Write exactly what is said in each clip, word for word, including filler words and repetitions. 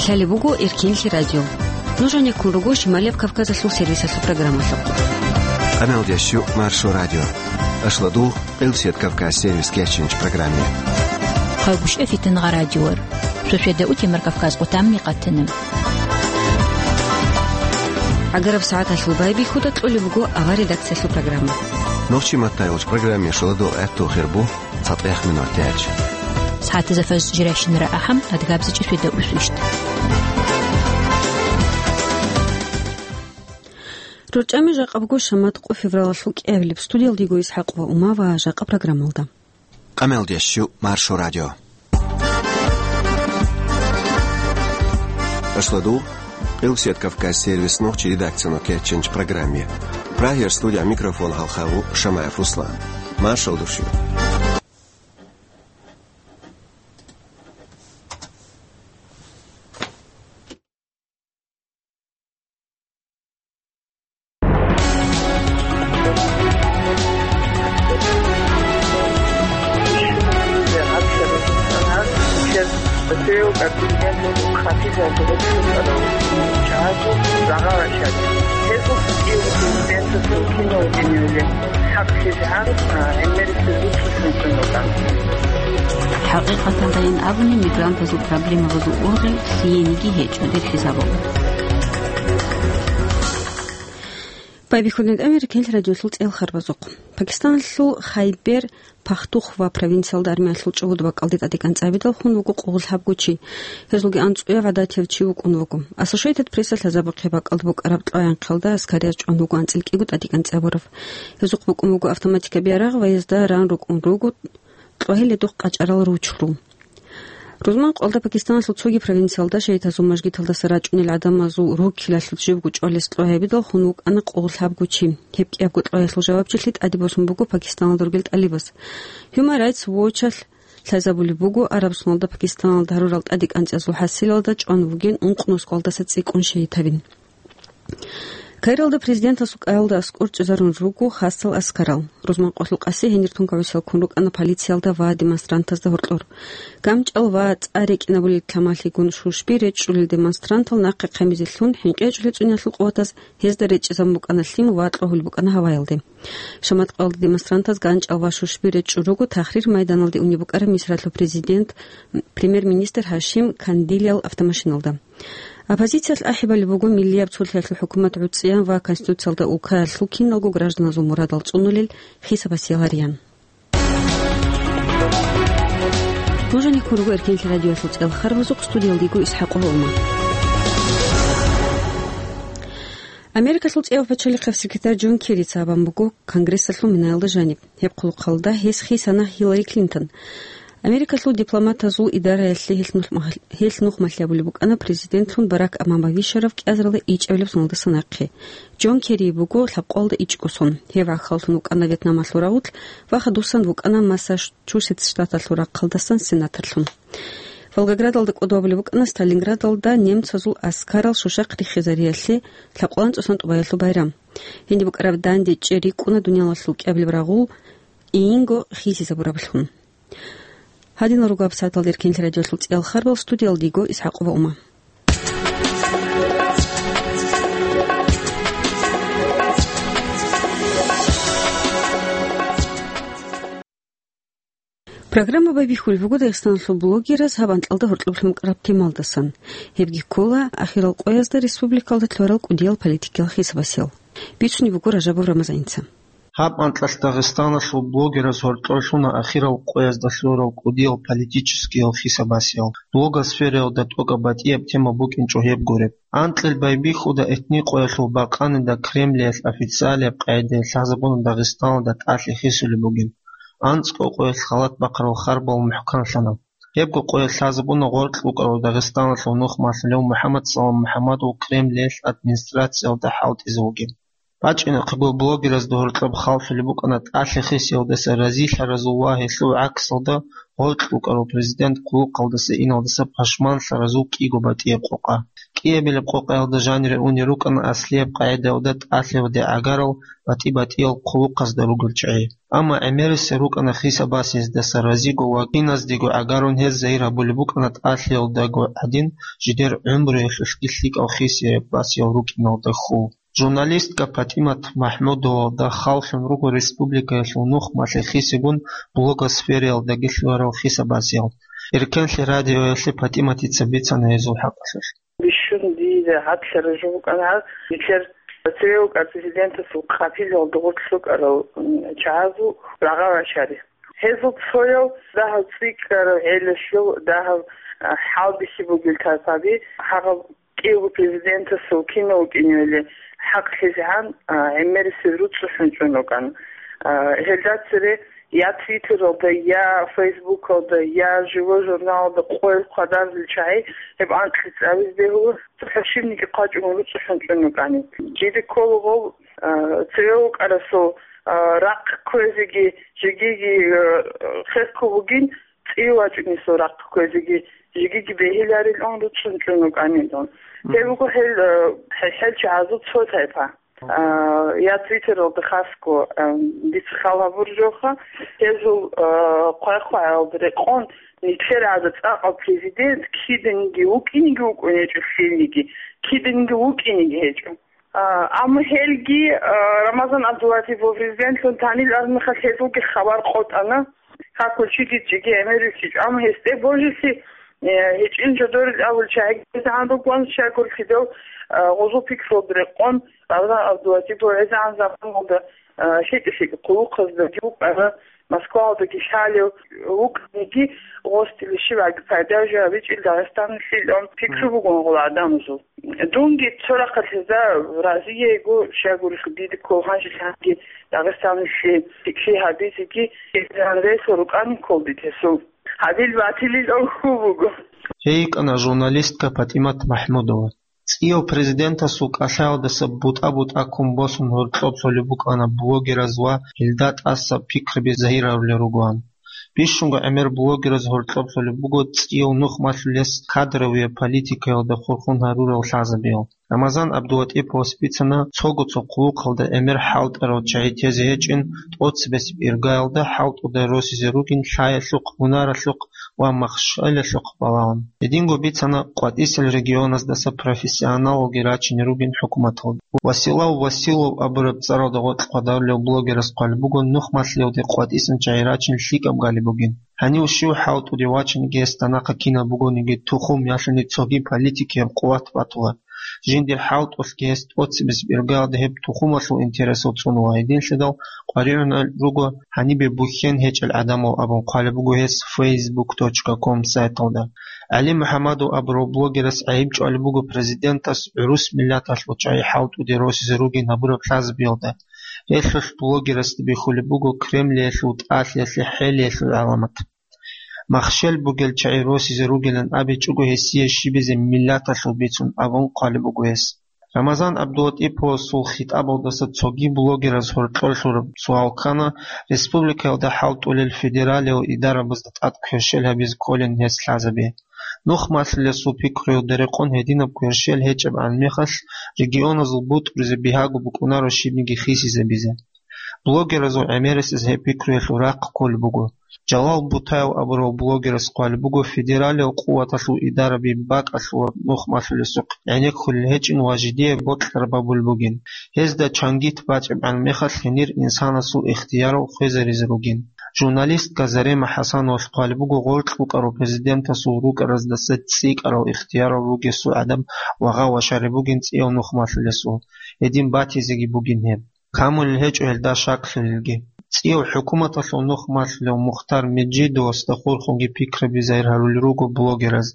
Лъалеб буго Эркенлъи радио. Нуж гьанеккун руго Шималияб Кавказалъул сервисалъул программалъухъ. Къамелдеш жо Маршо радио. Ашлу дугъ Къилсият Кавказ сервис кечинч программе. Хъагушев Фитнагъа радиор. Шошеда утемар Кавказ къутамни къатана. Агараб сагӀаталъул байбихьуда кьолеб буго авар редакциялъул программа. Нохчи маттайолч программе шуладул гӀатту хирбу. ЦатӀехъ минут тяч. СагӀатазда фажр жирайщинара ахӀам, адгабзичӀеб свида усвищ. РорчӀами жакъа буго шамат къо февралалъул кӀиабилеб. Студиялда йиго ИсхӀакъ ва Ума ва жакъа программалда. Къамелдеш жо Маршо радио. Ашлу дугъ Къилсият Кавказ сервис нохчи редакциялъул кечинч программе. Прагьиялъ студия микрофон гьалхагӀав Шамаев Руслан. Маршал души. ХӀакъикъаталдайин абуни, мигрантазул проблемабазул ургъел лъиениги гьечӀо, дир хӀисабалда. Байбихьулин тӀамир кел радиолъул цӀел харбазухъ. Пакистаналъул Хайбер Пахтухва провинциялда армиялъул чӀугӀуд бакӀалде тӀадегӀан цӀабидал хун вуго къулгъул лъабго чи. Гьезулги анцӀояв гӀадатияв чи вукӀун вуго. Ассошейтед Прессалъ лъазабухъе бакӀалда букӀараб кьваян хъалда аскарияб чӀван вуго анцӀил кӀиго тӀадегӀан цӀабурав. Гьезухъ букӀун буго автоматикаби ярагъ ва гьезда ран рукӀун руго кьвагьеледухъ къачӀарал ручру. Рузман къвалда Пакистаналъул цоги провинциялда шагьидазул мажгиталдаса рачӀунел гӀадамазул руккилалъул жибго чӀвалес кьвагьабидал хун вукӀана къулгъул лъабго чи. Гьеб кӀиябго кьвагьелъул жавабчилъи тӀаде босун буго Пакистаналда ругел тӀалибаз. Human Rights Watch-алъ лъазабулеб буго, Араб Сунналда Пакистаналда гьарурал тӀадекӀанцӀазул хӀасилалда чӀван вугин ункънусгъалдаса цӀикӀкӀун шагьид гьабин. Каиралда президентасул кӀалалда аскӀор чӀезарун руго хасал аскарал. Рузман къвалъул къаси гьенир тункагӀусиялккун рукӀана полициялда ва демонстрантазда гьоркьор. ГамчӀал ва цӀа рекӀинабулел кламалъигун шушби речӀчӀулел демонстрантал нахъе хъемизе лъун, хӀинкъи гьечӀулел цӀуниялъул къуватаз гьезда речӀчӀизабун букӀана лъим ва кьогьул букӀана гьаваялде. Шамат къвалда демонстрантаз ганчӀал ва шушби речӀчӀун руго Тахрир майданалде унеб букӀараб Мисралъул президент, премьер-министр Гьашим Кандилиял автомашиналда. Оппозициялъ ахӀи балеб буго миллияб цолъиялъул хӀукумат гӀуцӀиян ва Конституциялда улкаялъул киналго гражданазул мурадал цӀунулел хисабасиялариян. Нуж гьанеккун руго Эркенлъи радиоялъул цӀел харбазухъ, студиялда йиго ИсхӀакъова Ума. Америкалъул цӀияв пачалихъав секретарь Джон Керрица абун буго Конгрессалъул минаялда жаниб. Гьеб хъулухъалда гьес хисана Хиллари Клинтон. Америкалъул дипломатазул идараялъе гьелъ нух-, гьелъ нухмалъи абулеб букӀана президентлъун Барак Обама вищарав кӀиазарилда ичӀабилеб соналдаса нахъе. Джон Керри буго лъабкъоялда ичӀго сон. Гьев гӀахьаллъун вукӀана Вьетнамалъул рагъулъ ва хадусан вукӀана Массачусетс штаталъул рахъалдасан сенаторлъун. Волгоградалда кӀодо абулеб букӀана Сталинградалда немцазул аскарал шушахъ риххизариялъе лъабкъоялда анцӀусан тӀубаялъул байрам. Гьениб букӀараб данде чӀей рикӀкӀуна дуниялалъул кӀиабилеб рагъул Инго хисизабураблъун. Гьадинал руго гьаб сагӀаталда Эркенлъи радиолъул цӀиял харбал, студиялда йиго ИсхӀакъова Ума. Программа байбихьулеб буго Дагъистаналъул блогераз гьаб анкьалда гьоркьоб лъумкӀараб темалдасан. Гьебги ккола ахирал къоязда республикалда лъурал кӀудиял политикиял хисабасел. Бицунеб буго Ражабов Рамазаница. Гьаб анкьалъ Дагъистаналъул блогераз гьоркьор лъуна ахирал къоязда лъурал кӀудиял политическиял хисабасел. Блогосфераялда тӀокӀаб батӀияб тема букӀинчӀо гьеб гуреб. Анкьил байбихьуда этникъоялъул бакъанида Кремлиялъ официалияб къагӀидаялъ лъазабуна Дагъистаналда тӀалъи хисулеб бугин. АнцӀго къоялъ халат бахъарал харбал мухӀканлъана. Гьебго къоялъ лъазабуна гъоркь букӀарав Дагъистаналъул нухмалъулев МухӀаммад Салам МухӀаммадов Кремлиялъ администрациялда хӀалтӀизе вугин. БачӀинахъего блогеразда гьоркьоб халлъулеб букӀана тӀалъи хисиялдаса разилъаразул ва гьелъул гӀаксалда гъоркь вукӀарав президент хъулухъалдаса иналдаса пашманлъаразул кӀиго батӀияб къокъа. КӀиабилеб къокъаялда жанире унел рукӀана аслияб къагӀидаялда тӀалъиялде гӀагарал батӀи-батӀиял хъулухъазда ругел чагӀи. Амма гӀемерисел рукӀана хиса-басиздаса разиго ва киназдего гӀагарун гьез загьир гьабулеб букӀана тӀалъиялдаго гӀадин, жидер гӀумруялъулъги лъикӀал хисияб-басиял рукӀиналда хьул. Журналистка ПатӀимат МахӀмудовалда халлъун руго республикаялъул нухмалъе хисигун блогосфераялдаги лъугьарал хиса-басиял. Эркенлъи радиоялъе ПатӀиматица бицана гьезул хӀакъалъулъ. Бищун дие гьадлъараб жо букӀана гьаб, нилъер цеве вукӀарав президентасул къапилалда гъоркь рукӀарал, м, чагӀазул рагъа-вачари. Гьезул цояв дагьав цӀикӀкӀараб гӀелалъул дагьав, а, хӀалбихьи бугел тарпаби, гьагъаб кӀиявго президентасул кинав вукӀиневали хӀакълъизегӀан, а, гӀемерисел руцӀцӀухӀун чӀун вукӀана. А, гьелда цере я Твиттералда, я Фейсбукалда, я Живой журналалда къоялъ хъвадарулел чагӀи гьеб анкьи цӀализе бегьула, цохӀо щибниги хъвачӀого руцӀцӀухӀун чӀун вукӀани. Жиде ккола гъов, а, цеве вукӀарасул, а, рахъ кквезеги, жегиги, а, хехго бугин, цӀи вачӀунесул рахъ кквезеги, жегиги бегьиларилан руцӀцӀун чӀун вукӀанилан. Гьеб буго гьел, а, хӀехӀел чагӀазул цо тайпа. А, я Твиттералда хасго, а, дица хал гьабураб жоха, гьезул, а, хъвай-хъваялда рекъон, нилъер гӀадаб цӀакъав президент киданиги вукӀинеги вукӀун гьечӀо, лъилниги киданиги вукӀинеги гьечӀо. А, амма гьелги, а, Рамазан ГӀабдулатипов президентлъун танил армехалъ гьезулги хабар къотӀана. Какулчиги чӀиги гӀемерисичӀ, амма гьесде божилъи, э, гьечӀин жодорил абул чагӀи гьезегӀан ругоан щайгурелъидал, э, гъозул пикрулда рекъон, Рамазан ГӀабдулатипов гьезегӀан заманалда, э, лъикӀа-лъикӀа хъулухъаздаги вукӀана, Москваялдаги лъалев вукӀаниги, гъосдили щиваги пайда жо гьабичӀел Дагъистаналъилан пикру бугон гъола гӀадамазул. Дунги цо рахъалъ гьезда разиего, щайгурелъул дида ккол гьанжелъанги Дагъистаналъе пикри гьабизеги, гьезегӀан ресал рукӀани ккол дида гьесул. Гьабил батилил хьул буго. Гьей йикӀана журналистка ПатӀимат МахӀмудова. ЦӀияв президентасул кӀалъаялдаса бутӀа-бутӀа ккун босун гьоркьоб лъолеб букӀана блогераз ва гьелда тӀаса пикраби загьир гьарулел ругоан. Бищунго гӀемер блогераз гьоркьоб лъолеб буго цӀияв нухмалъулес кадровияб политикаялда хурхун гьарурал лъазабиял. Рамазан ГӀабдулатӀиповас бицана, цого цо хъулухъалда гӀемер хӀалтӀарал чагӀи тезе гьечӀин, тӀоцебесеб иргаялда хӀалтӀуда росизе ругин лъаялъухъ, гьунаралъухъ ва махщелалъухъ балагьун. Гьединго бицана къватӀисел регионаздаса профессионалалги рачине ругин хӀукуматалда. Василав Василов абураб цӀаралда гъоркь хъвадарулев блогерас хъвалеб буго, нухмалъиялде къватӀисан чагӀи рачин лъикӀаб галеб бугин. Гьанив щив хӀалтӀуде вачаниги, гьесда нахъа кинаб бугониги, тухум ялъуни цоги политикияб къуват батула. Жиндир хӀалтӀулъги гьес тӀоцебесеб иргаялда гьеб тухумалъул интересал цӀунула. Гьединлъидал къваригӀунел руго гьанибе бухьен гьечӀел гӀадамал абун хъвалеб буго гьес фейсбук точка ком сайталда. ГӀали МухӀамадов абурав блогерас гӀайиб чӀвалеб буго президентас гӀурус миллаталъул чагӀи хӀалтӀуде росизе ругин гьабураб лъазабиялда. Гьелъулъ блогерасда бихьулеб буго Кремлиялъул тӀалъиялъе хӀелиялъул гӀаламат. Махщел бугел чагӀи росизе ругилан абичӀого гьесие щибизе миллаталъул бицун абун хъвалеб буго гьес. Рамазан ГӀабдулатӀиповасул хитӀабалдаса цоги блогераз гьоркьор лъураб суал ккана республикаялда хӀалтӀулел федералиял идарабазда тӀад кверщел гьабизе кколин гьес лъазабе. Нухмалъулесул пикруялда рекъон гьединаб кверщел гьечӀебгӀан мехалъ, регионазул бутӀрузе бигьаго букӀунаро щибниги хисизабизе. Блогеразул гӀемерисез гьеб пикруялъул рахъ кколеб буго. Жалал Бутаев абурав блогерас хъвалеб буго, федералиял къуваталъул идараби бакӀалъула нухмалъулесухъ гӀенеккулел гьечӀин ва жидее бокьараб гьабулеб бугин. Гьезда чангит бачӀебгӀан мехалъ гьенир инсанасул ихтиярал хвезаризе ругин. Журналистка Зарема ХӀасановалъ хъвалеб буго, гъоркь вукӀарав президентасул рукӀараздаса цӀикӀкӀарал ихтиярал ругесул гӀадаб вагъа-вашари бугин цӀияв нухмалъулесул, гьедин батизеги бугин гьеб. Камулел гьечӀо гьелда шаклъулелги. ЦӀияв хӀукуматалъул нухмалъулев Мухтар Межидовасда хурхунги пикраби загьир гьарулел руго блогераз.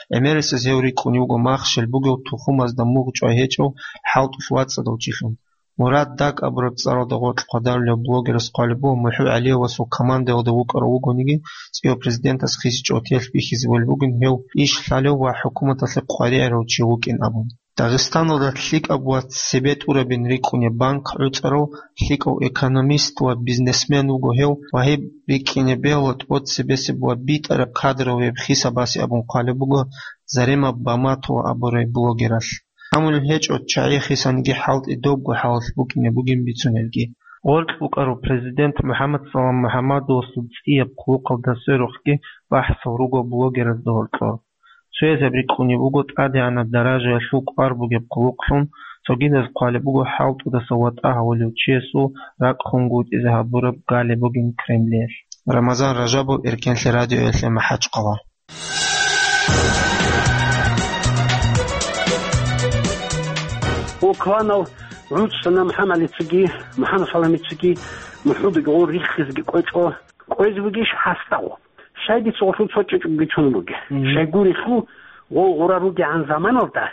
ГӀемерисез гьев рикӀкӀунев вуго махщел бугев тухумазда мугъ чӀвай гьечӀев хӀалтӀулъ вацӀцӀадав чилъун. Мурад Даг абураб цӀаралда гъоркь хъвадарулев блогерас хъвалеб буго, МухӀу ГӀалиевасул командаялда вукӀарав вугониги, цӀияв президентас хисичӀого телъ бихьизе волеб бугин гьев иш лъалев ва хӀукуматалъе къваригӀарав чи вукӀин абун. Дагъистаналда лъикӀаб ва цебетӀурабин рикӀкӀунеб банк гӀуцӀарав лъикӀав экономист ва бизнесмен вуго гьев ва гьеб рикӀкӀине бегьула тӀоцебесеб ва битӀараб кадроваяб хисабасе абун хъвалеб буго Зарема Баматова абурай блогералъ. Гьамулеб гьечӀо чагӀи хисаниги хӀалтӀи добго хӀалалъ букӀине бугин бицунелги. Гъоркь букӀарав президент МухӀаммад Салам МухӀаммадовасул цӀияб хъулухъалда сверухъги бахӀсал руго блогеразда гьоркьор. Цоязаб рикӀкӀунеб буго тӀадегӀанаб даражаялъул кӀвар бугеб хъулухълъун, цогидаз хъвалеб буго хӀалтӀудаса ватӀа гьавулев чиясул ракӀ хунгутӀизе гьабураб галеб бугин Кремлиялъ. Рамазан Ражабов, Эркенлъи радиоялъе МахӀачхъала. Окванал гӀуцӀана МухӀаммадицаги, МухӀаммадсаламицаги, мухӀудги гъо риххизги кӀвечӀо, кӀвезе бугищ гьасда гъо? Щай дица гъолъул цо чӀечӀуги чун бугеб? Мгм. Щайгурелъул гъо гъура ругегӀан заманалда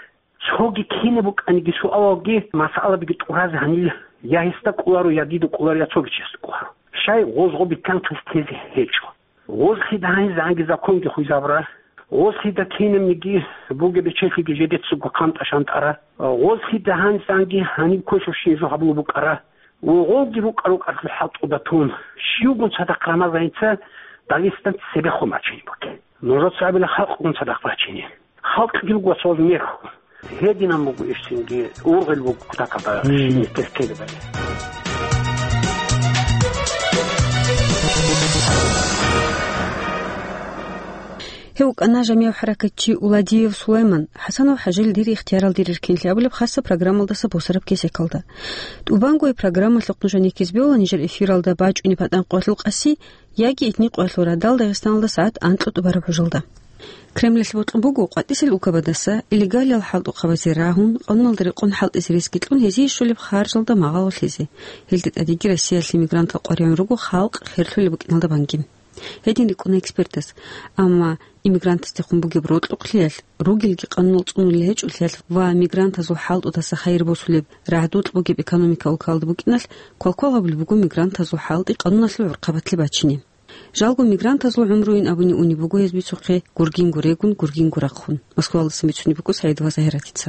цоги кинаб букӀаниги суалалги, масъалабиги тӀуразе гьанил я гьесда кӀоларо, я дида кӀоларо, я цоги чиясда кӀоларо. Щай гъоз гъо битӀанхъис тезе гьечӀо? Гъоз хида гьанизанги законги хвезабура. Гъоз хида кинабниги бугеб бечелъиги жедецаго хъантӀа-шантӀара. Гъоз хида гьанизанги гьаниб квешабщинаб жо гьабулеб букӀара. Ва гъолги рукӀа-рукӀалъул хӀалтӀуда тун, щивгун цадахъ Рамазаница Дагъистаналъ цебехун бачине бугеб. Нужеца абила халкъгун цадахъ бачине. Халкъги руго цо мехалъ. Гьединан буго иш цинги, ургъел буго кутакалда. Мгм. Щиб тес-, тесебали. Гьев вукӀана жамигӀ хӀаракатчи Уладиев Сулайман, ХӀасанов ХӀажил «Дир ихтиярал, дир эркенлъи» абулеб хасаб программалдаса босараб кесекалда. ТӀубанго гьеб программалъухъ нужеда ккезе бегьула нижер эфиралда бачӀунеб гьатӀан къоялъул къаси яги итни къоялъул радал Дагъистаналда сагӀат анкьго тӀубараб гӀужалда. Кремлалъ бокьун буго къватӀисел улкабаздаса илегалиял хӀалтӀухъабазе рагьун, къануналда рекъон хӀалтӀизе ресги кьун гьезие щолеб харжалда магъало лъезе. Гьелде тӀадеги Россиялъе мигрантал къваригӀун руго халкъ херлъулеб букӀиналда банги. Гьедин рикӀкӀуна экспертаз. Амма иммигрантаздехун бугеб рокьукълъиялъ, ругелги къануналъ цӀунулел гьечӀолъиялъ ва мигрантазул хӀалтӀудаса хайир босулеб рагӀдукь бугеб экономика улкалда букӀиналъ, квалквал гьабулеб буго мигрантазул хӀалтӀи къануналъул гӀурхъабатлъи бачине. Жалго мигрантазул гӀумруйин абуни унеб буго гьез бицухъе гургинго регун, гургинго рахъун. Москвалдасан бицунеб буго Саидова Загьиратица.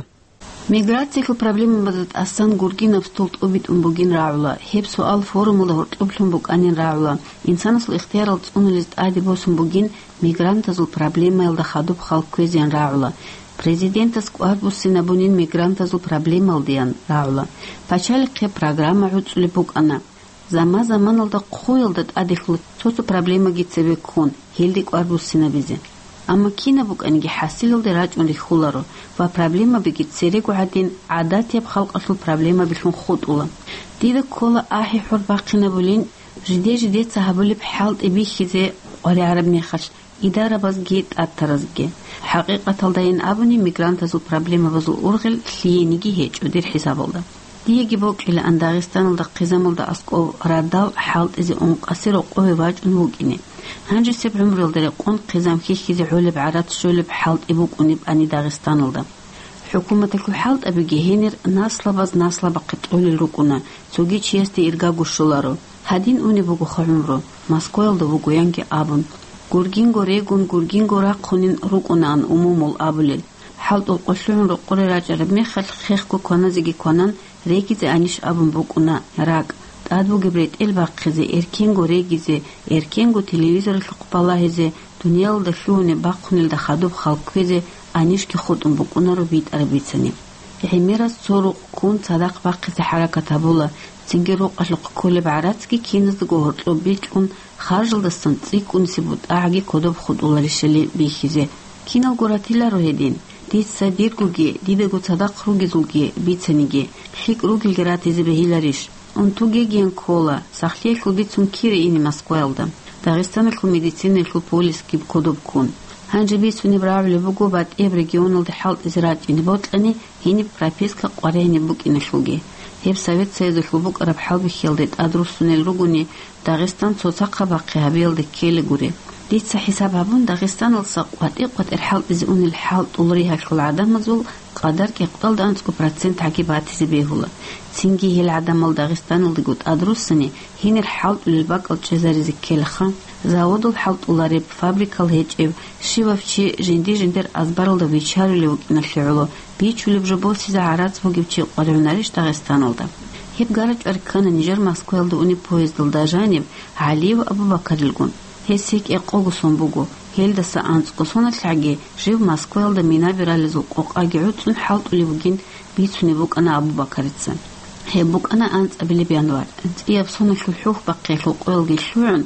Миграциялъул проблемабазда тӀасан гургинаб стол тӀубитӀун бугин рагӀула. Гьеб суал форумалда гьоркьоблъун букӀанин рагӀула. Инсанасул ихтиярал цӀунулез тӀаде босун бугин мигрантазул проблемаялда хадуб хал кквезеян рагӀула. Президентас кӀвар буссинабунин мигрантазул проблемаялдеян рагӀула. Пачалихъе программа гӀуцӀулеб букӀана. Заман-заманалда хъуялда тӀаделъула цо-цо проблемаги цебе ккун, гьелде кӀвар буссинабизе. Амма кинаб букӀаниги хӀасилалде рачӀун рихьуларо ва проблемабиги церего гӀадин гӀадатияб халкъалъул проблемабилъун хутӀула. Дида ккола ахӀи-хӀор бахъинабулин, жиде-жидеца гьабулеб хӀалтӀи бихьизе къваригӀараб мехалъ, идарабазги тӀатаразги. ХӀакъикъаталдайин абуни, мигрантазул проблемабазул ургъел лъиениги гьечӀо дир хӀисабалда. Диеги бокьилаан Дагъистаналда хъизамалда аскӀов радал хӀалтӀизе ункъасе рокъове вачӀун вукӀине. Гьанжесеб гӀумруялда рекъон хъизам хьихьизе гӀолеб гӀарац щолеб хӀалтӀи букӀунебани Дагъистаналда. ХӀукуматалъул хӀалтӀабиги гьенир наслабаз наслабахъе тӀолел рукӀуна, цоги чиясде иргаго щоларо. Гьадин унеб бугоха гӀумру, Москваялда вугоянги абун. Гургинго регун, гургинго рахъунин рукӀунаан умумул абулел. ХӀалтӀул къо лъугӀун рокъоре рачӀараб мехалъ хехго кваназеги кванан, регизе анищ абун букӀуна ракӀ. ТӀад бугеб ретӀел бахъизе, эркенго регизе, эркенго телевизоралъухъ балагьизе, дуниялалда лъугьунеб бахъунелда хадуб хал кквезе анищги хутӀун букӀунаро битӀараб бицани. ГӀемераз цо рукъ ккун цадахъ бахъизе хӀаракат гьабула, цинги рукъалъухъ кколеб гӀарацги киназдаго гьоркьоб бикьун, харжалдасан цӀикӀкӀунисеб бутӀагӀаги кодоб хутӀуларищали бихьизе. Киналго ратиларо гьедин. Дица диргоги, дидаго цадахъ ругезулги бицаниги, лъикӀ ругелги ратизе бегьиларищ? Унтугегиян ккола, сахлъиялъул бицун кире ине Москваялда, Дагъистаналъул медицинаялъул полисги кодоб ккун. Гьанже бицунеб рагӀулеб буго батӀияб регионалде хӀалтӀизе рачӀине бокьани, гьениб прописка къваригӀинеб букӀиналъулги. Гьеб Совет Союзалъул букӀараб хӀалбихьиялде тӀадруссунел ругони, Дагъистан цоцахъабахъе гьабиялде ккелагури. Дица хӀисаб гьабун, Дагъистаналса къватӀи-къватӀир хӀалтӀизе унел хӀалтӀул ригьалъул гӀадамазул къадар кӀикъоялда анцӀго процент гӀаги батизе бегьула. Цинги гьел гӀадамал Дагъистаналдаго тӀадруссани, гьенир хӀалтӀулел бакӀал чӀезаризе ккелаха. Заводал хӀалтӀулареб, фабрикал гьечӀеб, щивав чи жинди-жиндир азбаралда вичарулев вукӀиналъе гӀоло, бичулеб жо босизе гӀарац бугев чи къваригӀунарищ Дагъистаналда? Гьеб гарачӀвар ккана нижер Москваялда унеб поездалда жаниб ГӀалиев Абу-Бакарилгун. Гьес гьекӀ-гьекъого сон буго, гьелдаса анцӀго соналъгӀаги жив Москваялда минаби ралезул къокъаги гӀуцӀун хӀалтӀулев вугин бицунеб букӀана Абу-Бакарица. Гьеб букӀана анцӀабилеб январь. ЦӀияб соналъул хӀухьбахъиялъул къоялги лъугӀун,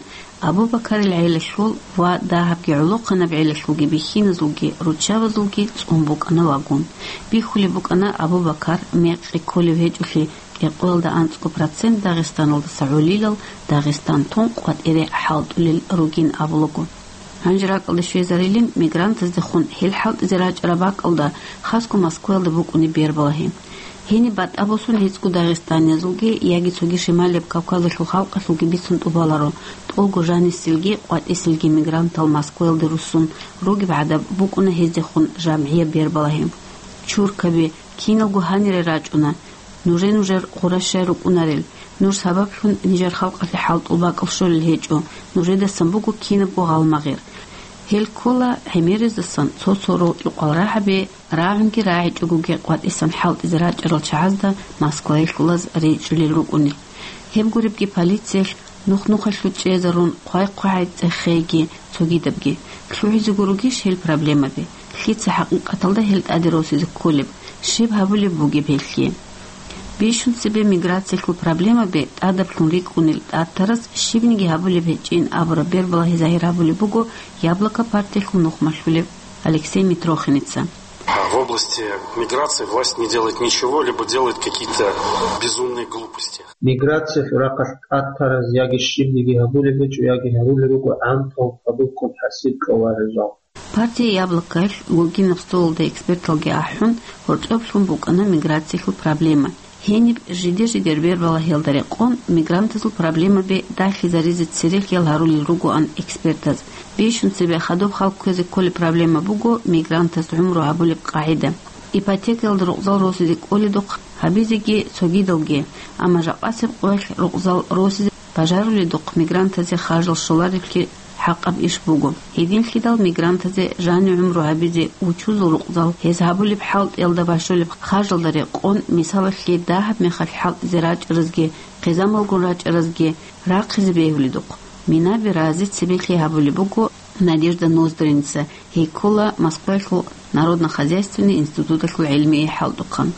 Абу-Бакарил гӀелалъул ва дагьабги гӀолохъанаб гӀелалъулги бихьиназулги руччабазулги цӀун букӀана вагон. Бихьулеб букӀана Абу-Бакар мекъи кколев гьечӀолъи, кӀикъоялда анцӀго процент Дагъистаналдаса гӀолилал Дагъистан тун къватӀире хӀалтӀулел ругин абулаго. Гьанже ракӀалде щвезарилин мигрантаздехун гьел хӀалтӀизе рачӀараб бакӀалда, хасго Москваялда букӀунеб бербалагьи. Гьениб батӀа босун гьецӀго дагъистаниязулги яги цоги Шималияб Кавказалъул халкъалъулги бицун тӀубаларо, тӀолго жанисилги къватӀисилги мигрантал Москваялде руссун ругеб гӀадаб букӀуна гьездехун жамгӀияб бербалагьи. Чуркаби, киналго гьанире рачӀуна. Нужер-нужер гъуращай рукӀунарел. Нуж сабаблъун нижер халкъалъе хӀалтӀул бакӀал щолел гьечӀо. Нужедасан буго кинабго гъалмагъир. Гьел ккола гӀемерисдасан цо-цо рокьукъал рагӀаби, рагӀунги рагӀичӀогоги къватӀисан хӀалтӀизе рачӀарал чагӀазда москваялъулаз речӀчӀулел рукӀунел. Гьеб гуребги полициялъ нух-нухалъув чӀезарун, хъвай-хъвагӀай цӀехейги цогидабги. ЛъугӀизего ругищ гьел проблемаби? Лъица хӀакъикъаталда гьел тӀаде росизе кколеб? Щиб гьабулеб бугеб гьелъие? Бищун цебе миграциялъул проблемаби тӀадаблъун рикӀкӀунел тӀатарас щибниги гьабулеб гьечӀин абураб бербалагьи загьир гьабулеб буго «Яблоко» партиялъул нухмалъулев Алексей Митрохиница. В области миграции власть не делает ничего, либо делает какие-то безумные глупости. Миграциялъул рахъалъ тӀатараз яги щибниги гьабулеб гьечӀо, яги гьарулел руго гӀантал хадубккун хӀасил кьоларел жал. Партия «Яблокоялъ» гогинаб столалда эксперталги ахӀун, гьоркьоб лъун букӀана миграциялъул проблема. Гьениб жидер-жидер бербалагьиялда рекъон мигрантазул проблемаби дагьлъизаризе цере хьиял гьарулел ругоан экспертаз. Бищун цебе хадуб хал кквезе кколеб проблема буго мигрантаз гӀумру гьабулеб къагӀида. Ипотекаялда рукъзал росизе кӀоледухъ гьабизеги цогидалги, амма жакъасеб къоялъ рукъзал росизе бажаруледухъ мигрантазе харжал щоларевлъи хӀакъаб иш буго. Гьединлъидал мигрантазе жани гӀумру гьабизе учузул рукъзал, гьез гьабулеб хӀалтӀиялда бащулеб харжалда рекъон, мисалалъе, дагьаб мехалъ хӀалтӀизе рачӀаразги, хъизамалгун рачӀаразги рахъизе бегьуледухъ, минаби разе цебехъи гьабулеб буго Надежда Ноздринца, гьей ккола Москваялъул народно-хозяйственный институталъул гӀилмияй хӀалтӀухъан.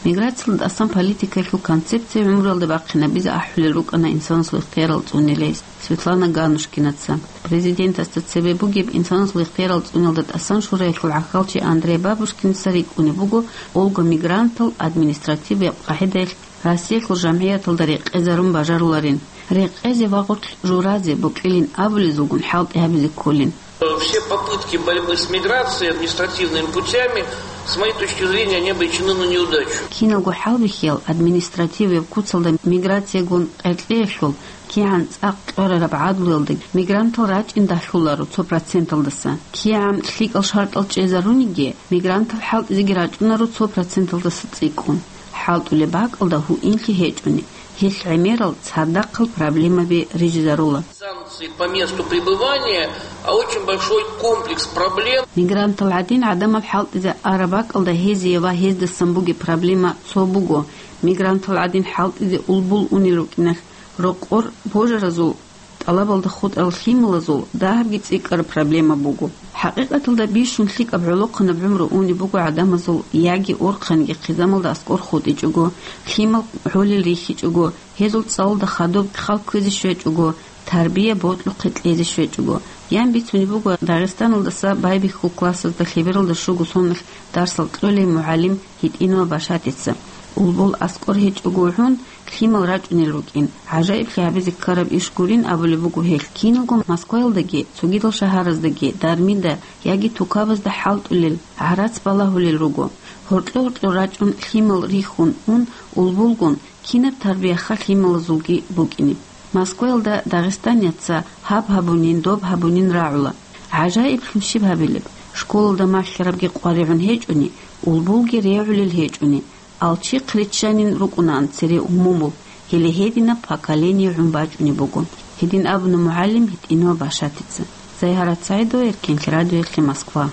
Миграциялда тӀасан политикаялъул концепция гӀумруялда бахъинабизе ахӀулел рукӀана инсанасул ихтиярал цӀунилей Светлана Ганушкинаца. Президентасда цебе бугеб инсанасул ихтиярал цӀуниялда тӀасан шураялъул гӀахьалчи Андрей Бабушкинца рикӀкӀунеб буго, олго мигрантал административияб къагӀидаялъ Россиялъул жамгӀияталда рекъезарун бажаруларин, рекъезе ва гъорлъ журазе бокьилин абулезулгун хӀалтӀи гьабизе кколин. Все попытки борьбы с миграцией административными путями, с моей точки зрения, они обречены на неудачу. Киналго хӀалбихьиял административияб куцалда миграциягун къеркьеялъул кигӀан цӀакъ кьорараб гӀадлуялда мигрантал рачӀин дагьлъуларо цо проценталдаса. КигӀан лъикӀал шартӀал чӀезаруниги, мигрантал хӀалтӀизеги рачӀунаро цо проценталдаса цӀикӀкӀун. ХӀалтӀулеб бакӀалда гьуинлъи гьечӀони, гьелъ гӀемерал цадахъал проблемаби рижизарула. Санкции по месту пребывания, а очень большой комплекс проблем. Мигрантал гӀадин гӀадамал хӀалтӀизе араб бакӀалда гьезие ва гьездасан бугеб проблема цо буго: мигрантал гӀадин хӀалтӀизе улбул унел рукӀиналъ, рокъор божаразул тӀалабалда хутӀарал лъималазул дагьабги цӀикӀкӀараб проблема буго. ХӀакъикъаталда бищун лъикӀаб гӀолохъанаб гӀумру унеб буго гӀадамазул яги орхъанги хъизамалда аскӀор хутӀичӀого, лъимал гьолел рихьичӀого, гьезул цӀалулда хадуб хал кквезе щвечӀого, тарбия бокьухъе кьезе щвечӀого. Ян бицунеб буго Дагъистаналдаса байбихьул классазда лъебералда щуго соналъ дарсал кьолей мугӀалим ГьитӀинова Башатица. Улбул аскӀор гьечӀого гӀун, лъимал рачӀунел рукӀин. ГӀажаиблъи гьабизе ккараб иш гурин абулеб буго гьелъ. Киналго Москваялдаги, цогидал шагьараздаги, дармида яги тукабазда хӀалтӀулел, гӀарац балагьулел руго. Гьоркьо-гьоркьор рачӀун, лъимал рихьун ун, улбулгун, кинаб тарбияха лъималазулги букӀине. Москваялда дагъистаниятца гьаб гьабунин, доб гьабунин рагӀула. ГӀажаиблъун щиб гьабилеб? Школалда малъарабги къваригӀун гьечӀони, улбулги регӀулел гьечӀони, алчихъ риччанин рукӀунаан цере умумул, гьеле гьединаб поколение гӀун бачӀунеб буго, гьедин абуна мугӀалим ГьитӀинова Башатица. Зайгьарат СагӀидова, Эркенлъи радиоялъе, Москва.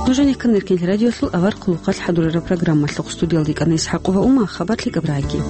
Нуж гьанихъан Эркенлъи радиоялъул авар хъулухъалъ хӀадурараб программалъухъ, студиялда йикӀана ИсхӀакъова Ума, хабар лъикӀаб рагӀаги.